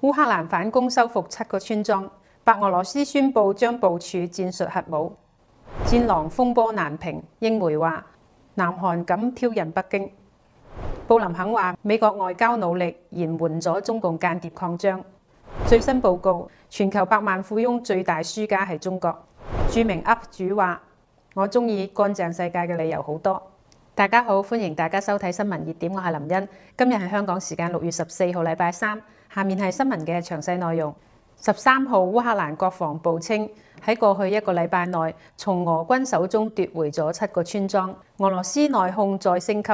烏克蘭反攻收復7個村莊，白俄羅斯宣布將部署戰術核武。戰狼風波難平，英媒話南韓敢挑釁北京。布林肯話美國外交努力延緩咗中共間諜擴張。最新報告，全球百萬富翁最大輸家係中國。著名 UP 主話：我中意乾淨世界嘅理由好多。大家好，歡迎大家收睇新聞熱點，我係林茵。今日係香港時間6月14號禮拜三，下面係新聞嘅詳細內容。13號烏克蘭國防部稱喺過去1個禮拜內，從俄軍手中奪回咗7個村莊。俄羅斯內訌再升級，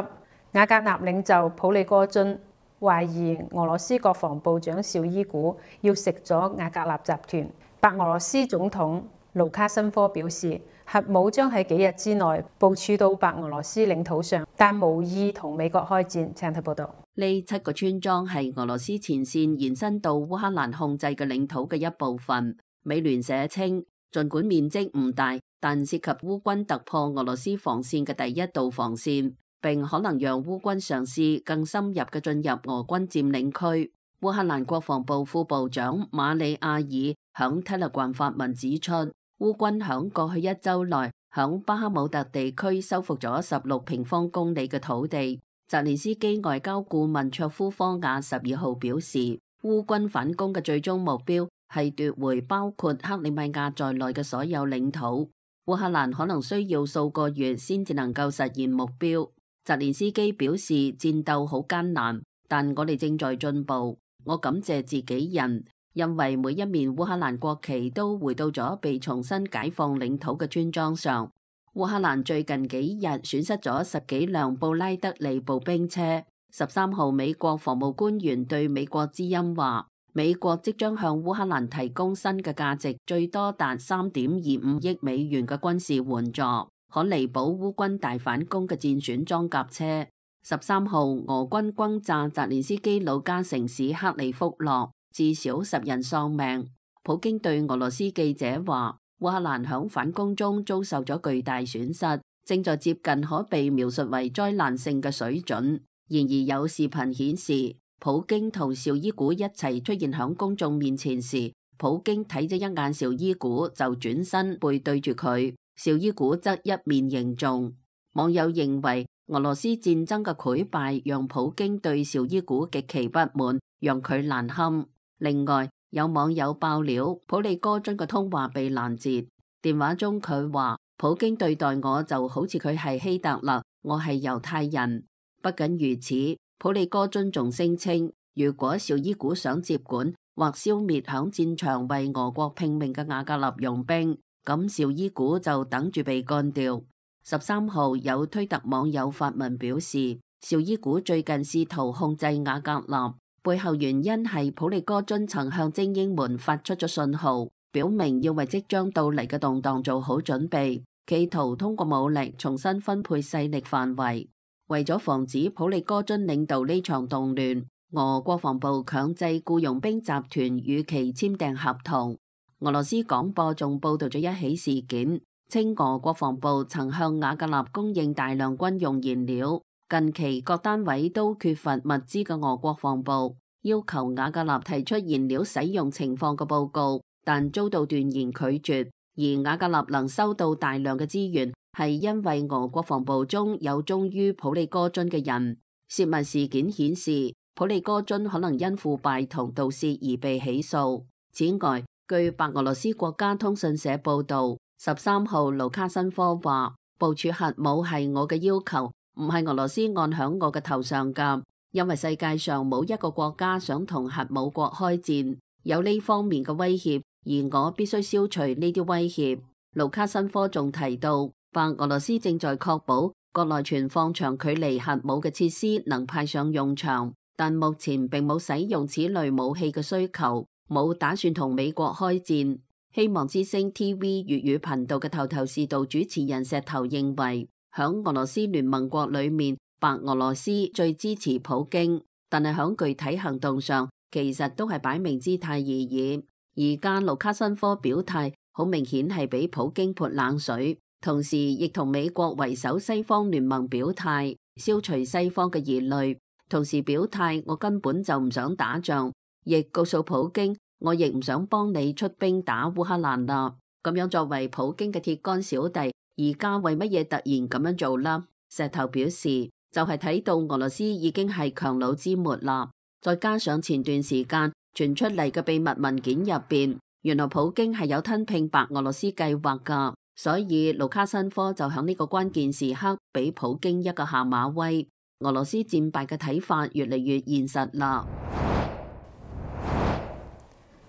瓦格納領袖普利戈津懷疑俄羅斯國防部長紹伊古要食咗瓦格納集團。白俄羅斯總統盧卡申科表示，核武將喺幾日之內部署到白俄羅斯領土上，但無意同美國開戰。請睇報道。呢7個村莊係俄羅斯前線延伸到烏克蘭控制嘅領土嘅一部分。美聯社稱，儘管面積唔大，但涉及烏軍突破俄羅斯防線嘅第一道防線，並可能讓烏軍嘗試更深入嘅進入俄軍佔領區。烏克蘭國防部副部長馬里亞爾響 Telegram 發文指出，烏軍響過去1週內響巴克姆特地區收復咗16平方公里嘅土地。澤連斯基外交顧問卓夫科亞12號表示，烏軍反攻嘅最終目標係奪回包括克里米亞在內嘅所有領土。烏克蘭可能需要數個月先至能夠實現目標。澤連斯基表示，戰鬥好艱難，但我哋正在進步。我感謝自己人，因為每一面烏克蘭國旗都回到咗被重新解放領土嘅村莊上。烏克蘭最近幾日損失咗10幾輛布拉德利步兵車。13號，美國防務官員對美國之音話，美國即將向烏克蘭提供新嘅價值最多達3.25億美元嘅軍事援助，可彌補烏軍大反攻嘅戰選裝甲車。13號，俄軍轟炸澤連斯基老家城市克里福諾，至少10人喪命。普京對俄羅斯記者話，烏克蘭響反攻中遭受咗巨大損失，正在接近可被描述為災難性嘅水準。然而有視頻顯示，普京同紹伊古一齊出現響公眾面前時，普京睇咗一眼紹伊古就轉身背對住佢，紹伊古則一面凝重。網友認為俄羅斯戰爭嘅潰敗讓普京對紹伊古極其不滿，讓佢難堪。另外有網友爆料，普利戈津嘅通話被攔截，電話中佢話，普京對待我就好似佢係希特勒，我係猶太人。不僅如此，普利戈津仲聲稱，如果紹伊古想接管或消滅響戰場為俄國拼命嘅瓦格納傭兵，咁紹伊古就等住被幹掉。13號，有推特網友發文表示，紹伊古最近試圖控制瓦格納，背後原因係普利戈津曾向精英們發出咗信號，表明要為即將到嚟嘅動盪做好準備，企圖通過武力重新分配勢力範圍。為咗防止普利戈津領導呢場動亂，俄國防部強制僱傭兵集團與其簽訂合同。俄羅斯廣播仲報道咗一起事件，稱俄國防部曾向瓦格納供應大量軍用燃料。近期各單位都缺乏物資嘅俄國防部要求瓦格納提出燃料使用情況嘅報告，但遭到斷然拒絕。而瓦格納能收到大量嘅資源，係因為俄國防部中有忠於普利戈津嘅人。洩密事件顯示，普利戈津可能因腐敗同盜竊而被起訴。此外，據白俄羅斯國家通訊社報道，13號盧卡申科話，部署核武係我嘅要求，唔係俄羅斯按響我嘅頭上㗎，因為世界上冇一個國家想同核武國開戰，有呢方面嘅威脅，而我必須消除呢啲威脅。盧卡申科仲提到，白俄羅斯正在確保國內存放長距離核武嘅設施能派上用場，但目前並冇使用此類武器嘅需求，冇打算同美國開戰。希望之聲 TV 粵語頻道嘅頭頭是道主持人石頭認為，響俄羅斯聯盟國裏面，白俄羅斯最支持普京，但係響具體行動上，其實都係擺明姿態而已。而家盧卡申科表態，好明顯係俾普京潑冷水，同時亦同美國為首西方聯盟表態，消除西方嘅疑慮。同時表態，我根本就唔想打仗，亦告訴普京，我亦唔想幫你出兵打烏克蘭啦。咁樣作為普京嘅鐵桿小弟，而家為乜嘢突然咁樣做啦？石頭表示，就係睇到俄羅斯已經係強弩之末啦，再加上前段時間傳出嚟嘅秘密文件入邊，原來普京係有吞併白俄羅斯計劃噶，所以盧卡申科就響呢個關鍵時刻俾普京一個下馬威。俄羅斯戰敗嘅睇法越嚟越現實啦。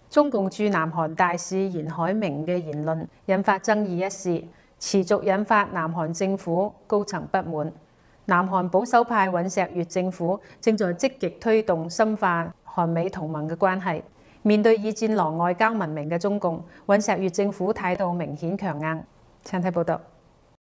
中共駐南韓大使嚴海明嘅言論引發爭議一事，持續引發南韓政府高層不滿。南韓保守派尹錫悅政府正在積極推動深化韓美同盟嘅關係。面對以戰狼外交聞名嘅中共，尹錫悅政府態度明顯強硬。請睇報道。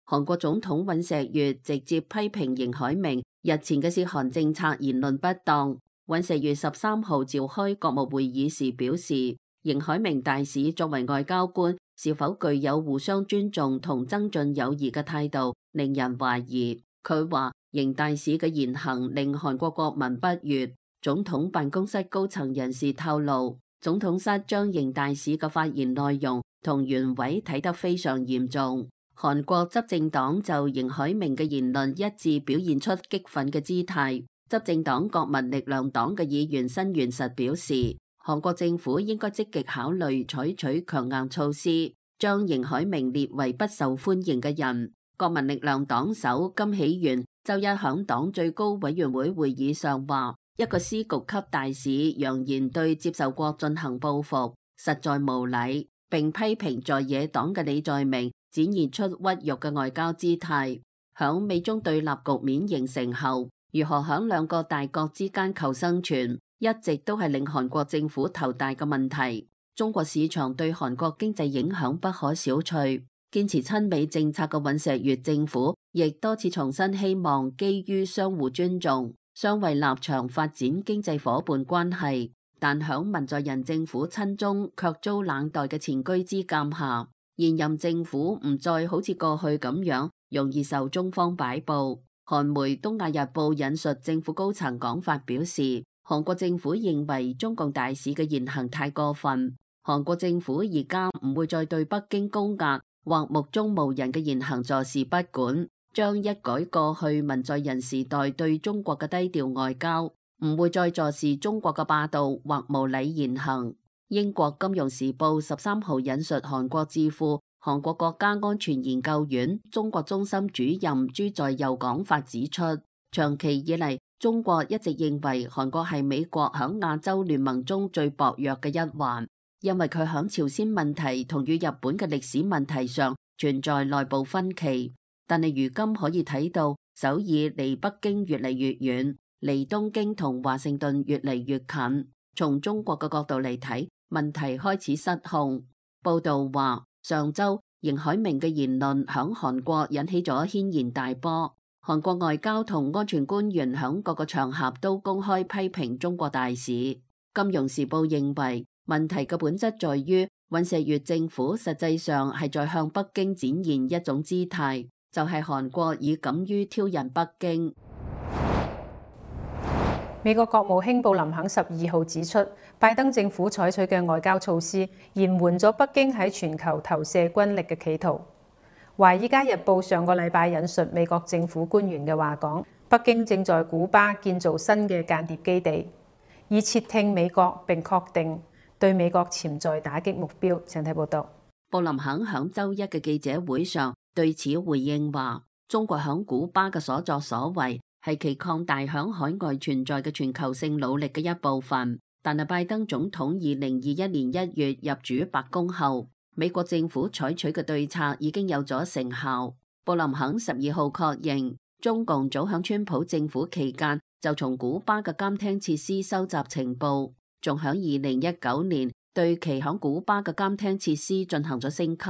韓國總統尹錫悅直接批評嚴海明日前嘅涉韓政策言論不當。尹錫悅13號召開國務會議時表示，嚴海明大使作為外交官，是否具有互相尊重同增進友誼嘅態度，令人懷疑。佢話嚴大使嘅言行令韓國國民不悅。總統辦公室高層人士透露，總統室將嚴大使嘅發言內容同原委睇得非常嚴重。韓國執政黨就嚴海明嘅言論一致表現出激憤嘅姿態。執政黨國民力量黨嘅議員申元實表示，韓國政府應該積極考慮採取強硬措施，將嚴海明列為不受歡迎嘅人。國民力量黨首金喜元周一響黨最高委員會會議上話，一個司局級大使揚言對接受國進行報復，實在無禮，並批評在野黨嘅李在明展現出屈辱嘅外交姿態。響美中對立局面形成後，如何響兩個大國之間求生存，一直都係令韓國政府頭大嘅問題。中國市場對韓國經濟影響不可小覷。堅持親美政策嘅尹錫悅政府，亦多次重申希望基於相互尊重、相為立場發展經濟夥伴關係。但響文在寅政府親中卻遭冷待嘅前車之鑑下，現任政府唔再好似過去咁樣容易受中方擺布。韓媒《東亞日報》引述政府高層講法表示，韓國政府認為中共大使嘅言行太過分，韓國政府而家唔會再對北京高壓或目中無人嘅言行坐視不管，將一改過去文在寅時代對中國嘅低調外交，唔會再坐視中國嘅霸道或無禮言行。英國金融時報13號引述韓國智庫韓國國家安全研究院中國中心主任朱在佑講法指出，長期以嚟，中國一直認為韓國係美國響亞洲聯盟中最薄弱嘅一環，因為佢響朝鮮問題同與日本嘅歷史問題上存在內部分歧。但係如今可以睇到，首爾離北京越嚟越遠，離東京同華盛頓越嚟越近。從中國嘅角度嚟睇，問題開始失控。報道話，上周嚴海明嘅言論響韓國引起咗軒然大波，韓國外交同安全官員響各個場合都公開批評中國大使。金融時報認為，問題嘅本質在於尹錫悅政府實際上係在向北京展現一種姿態，就係韓國已敢於挑釁北京。美國國務卿布林肯12號指出，拜登政府採取嘅外交措施延緩咗北京喺全球投射軍力嘅企圖。《華爾街日報》上個禮拜引述美國政府官員嘅話講，北京正在古巴建造新嘅間諜基地，以竊聽美國並確定對美國潛在打擊目標。請睇報道。布林肯響周一嘅記者會上對此回應話，中國響古巴嘅所作所為係其擴大響海外存在嘅全球性努力嘅一部分，但係拜登總統2021年1月入主白宮後，美國政府採取嘅對策已經有咗成效。布林肯12號確認，中共早響川普政府期間就從古巴嘅監聽設施收集情報，仲響2019年對其響古巴嘅監聽設施進行咗升級。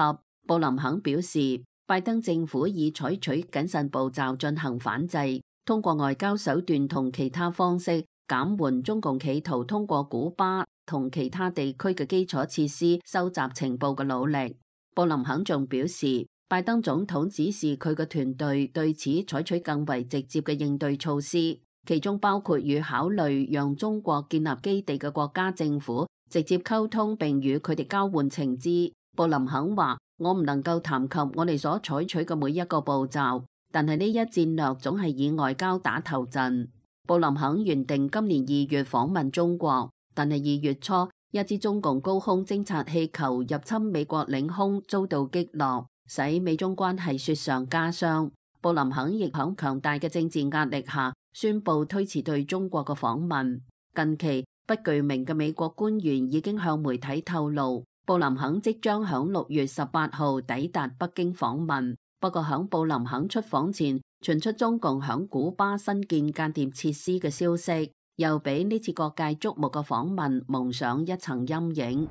布林肯表示，拜登政府已採取謹慎步驟進行反制，通過外交手段同其他方式減緩中共企圖通過古巴同其他地區嘅基礎設施收集情報嘅努力。布林肯仲表示，拜登總統指示佢嘅團隊對此採取更為直接嘅應對措施，其中包括與考慮讓中國建立基地嘅國家政府直接溝通並與佢哋交換情資。布林肯話：我唔能夠談及我哋所採取嘅每一個步驟，但係呢一戰略總係以外交打頭陣。布林肯原定今年2月訪問中國，但係2月初一支中共高空偵察氣球入侵美國領空遭到擊落，使美中關係雪上加霜。布林肯亦喺強大嘅政治壓力下宣布推遲對中國嘅訪問。近期不具名嘅美國官員已經向媒體透露，布林肯即將喺6月18號抵達北京訪問。不過喺布林肯出訪前傳出中共喺古巴新建間諜設施嘅消息，又俾呢次各界矚目嘅訪問蒙上一層陰影。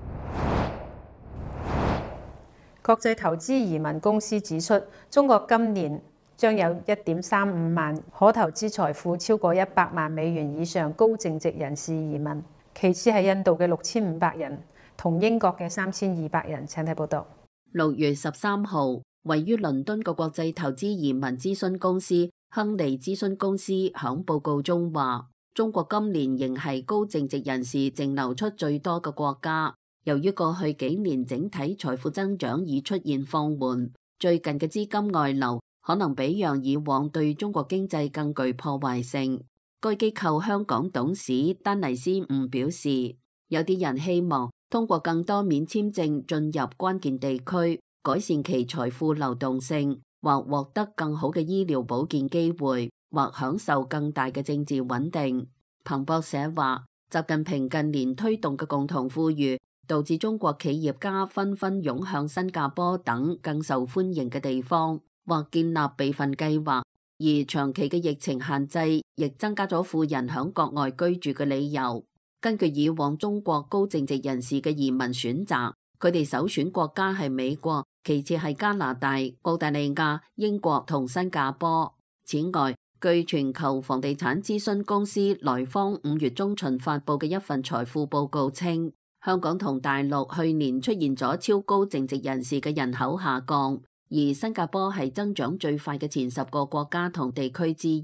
國際投資移民公司指出，中國今年將有1.35萬可投資財富超過100萬美元以上高淨值人士移民，其次係印度嘅6500人，同英國嘅3200人。請睇報道。6月13號，位於倫敦嘅國際投資移民諮詢公司亨利諮詢公司響報告中話，中國今年仍係高淨值人士淨流出最多嘅國家。由於過去幾年整體財富增長已出現放緩，最近嘅資金外流可能比讓以往對中國經濟更具破壞性。該機構香港董事丹尼斯伍表示，有啲人希望通過更多免簽證進入關鍵地區，改善其財富流動性，或獲得更好嘅醫療保健機會，或享受更大嘅政治穩定。彭博社話，習近平近年推動嘅共同富裕，導致中國企業家紛紛湧向新加坡等更受歡迎嘅地方，或建立備份計劃。而長期嘅疫情限制，亦增加咗富人響國外居住嘅理由。根據以往中國高淨值人士嘅移民選擇，佢哋首選國家係美國，其次係加拿大、澳大利亞、英國同新加坡。此外，據全球房地產諮詢公司萊坊5月中旬發佈嘅一份財富報告稱，香港同大陸去年出現咗超高淨值人士嘅人口下降，而新加坡係增長最快嘅前10個國家同地區之一。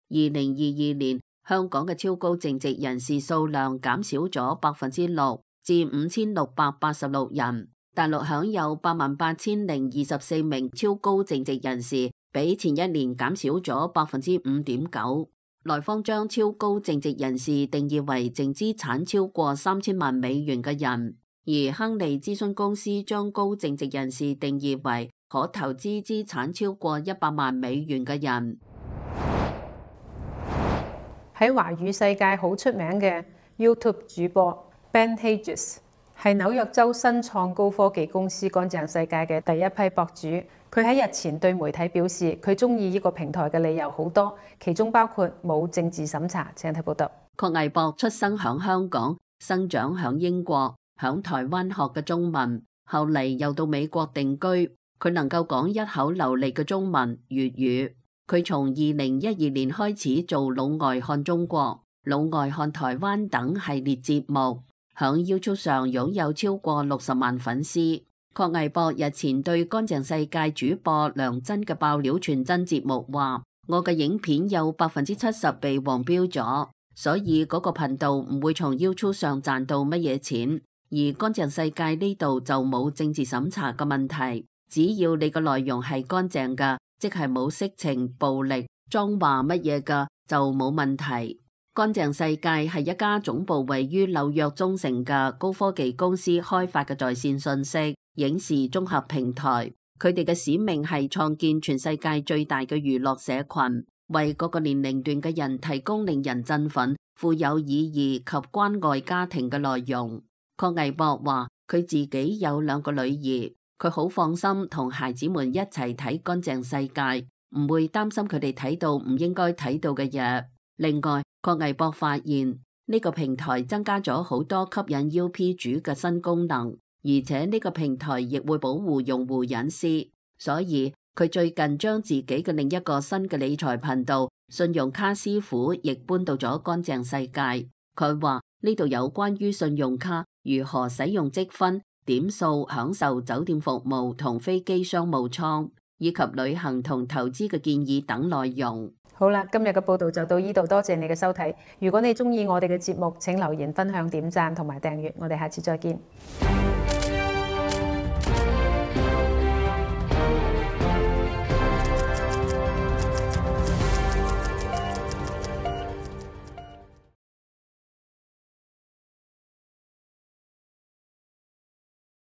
2022年，香港嘅超高淨值人士數量減少咗6%至5686人，大陸享有88024名超高淨值人士，比前一年減少咗5.9%。萊坊將超高淨值人士定義為淨資產超過3000萬美元嘅人，而亨利諮詢公司將高淨值人士定義為可投資資產超過100萬美元嘅人。喺華語世界好出名嘅 YouTube 主播 Ben Hedges 係紐約州新創高科技公司乾淨世界嘅第一批博主。佢喺日前對媒體表示，佢中意呢個平台嘅理由好多，其中包括冇政治審查。請睇報道。郝藝博出生響香港，生長響英國，響台灣學嘅中文，後嚟又到美國定居。佢能夠講一口流利嘅中文粵語。佢從2012年開始做老外看中國、老外看台灣等系列節目，響 YouTube 上擁有超過60萬粉絲。郝藝博日前對乾淨世界主播梁真嘅爆料傳真節目話：我嘅影片有70%被黃標咗，所以嗰個頻道唔會從 YouTube 上賺到乜嘢錢。而乾淨世界呢度就冇政治審查嘅問題，只要你嘅內容係乾淨㗎，即係冇色情、暴力、髒話乜嘢㗎，就冇問題。乾淨世界係一家總部位於紐約中城嘅高科技公司開發嘅在線信息影視綜合平台。佢哋嘅使命係創建全世界最大嘅娛樂社群，為各個年齡段嘅人提供令人振奮、富有意義及關愛家庭嘅內容。郝藝博話：佢自己有2個女兒，佢好放心同孩子們一齊睇乾淨世界，唔會擔心佢哋睇到唔應該睇到嘅嘢。另外，郝藝博發現呢個平台增加咗好多吸引 UP 主嘅新功能，而且呢個平台亦會保護用戶隱私，所以佢最近將自己嘅另一個新嘅理財頻道信用卡師傅亦搬到咗乾淨世界。佢話呢度有關於信用卡如何使用積分、點數享受酒店服務同飛機商務艙，以及旅行同投資嘅建議等內容。好啦，今日嘅報道就到呢度，多謝你嘅收睇。如果你鍾意我哋嘅節目，請留言、分享、點讚同埋訂閱。我哋下次再見。